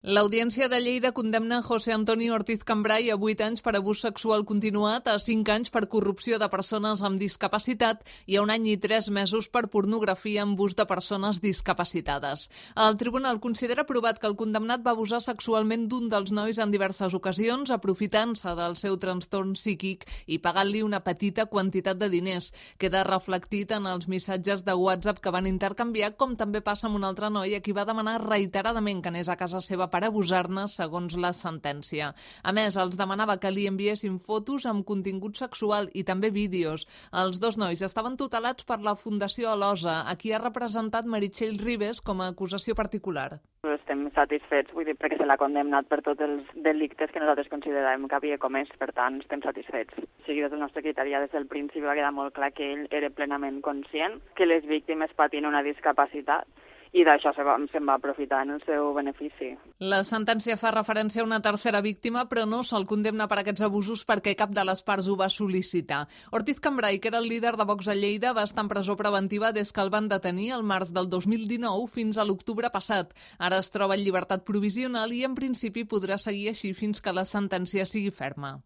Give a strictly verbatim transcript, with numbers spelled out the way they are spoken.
L'Audiència de Lleida condemna José Antonio Ortiz Cambray a vuit anys per abús sexual continuat, a cinc anys per corrupció de persones amb discapacitat i a un any i tres mesos per pornografia amb ús de persones discapacitades. El tribunal considera provat que el condemnat va abusar sexualment d'un dels nois en diverses ocasions, aprofitant-se del seu trastorn psíquic i pagant-li una petita quantitat de diners. Queda reflectit en els missatges de WhatsApp que van intercanviar, com també passa amb un altre noi a qui va demanar reiteradament que anés a casa seva per abusar-ne, segons la sentència. A més, els demanava que li enviessin fotos amb contingut sexual i també vídeos. Els dos nois estaven tutelats per la Fundació Alosa, a qui ha representat Meritxell Ribes com a acusació particular. Estem satisfets, vull dir, perquè se l'ha condemnat per tots els delictes que nosaltres consideràvem que havia comès, per tant, estem satisfets. O sigui, des del nostre criteri, des del principi va quedar molt clar que ell era plenament conscient que les víctimes patien una discapacitat i d'això se'n va, se va aprofitar en el seu benefici. La sentència fa referència a una tercera víctima, però no se'l condemna per aquests abusos perquè cap de les parts ho va sol·licitar. Ortiz Cambray, que era el líder de Vox a Lleida, va estar en presó preventiva des que el van detenir el març del dos mil dinou fins a l'octubre passat. Ara es troba en llibertat provisional i en principi podrà seguir així fins que la sentència sigui ferma.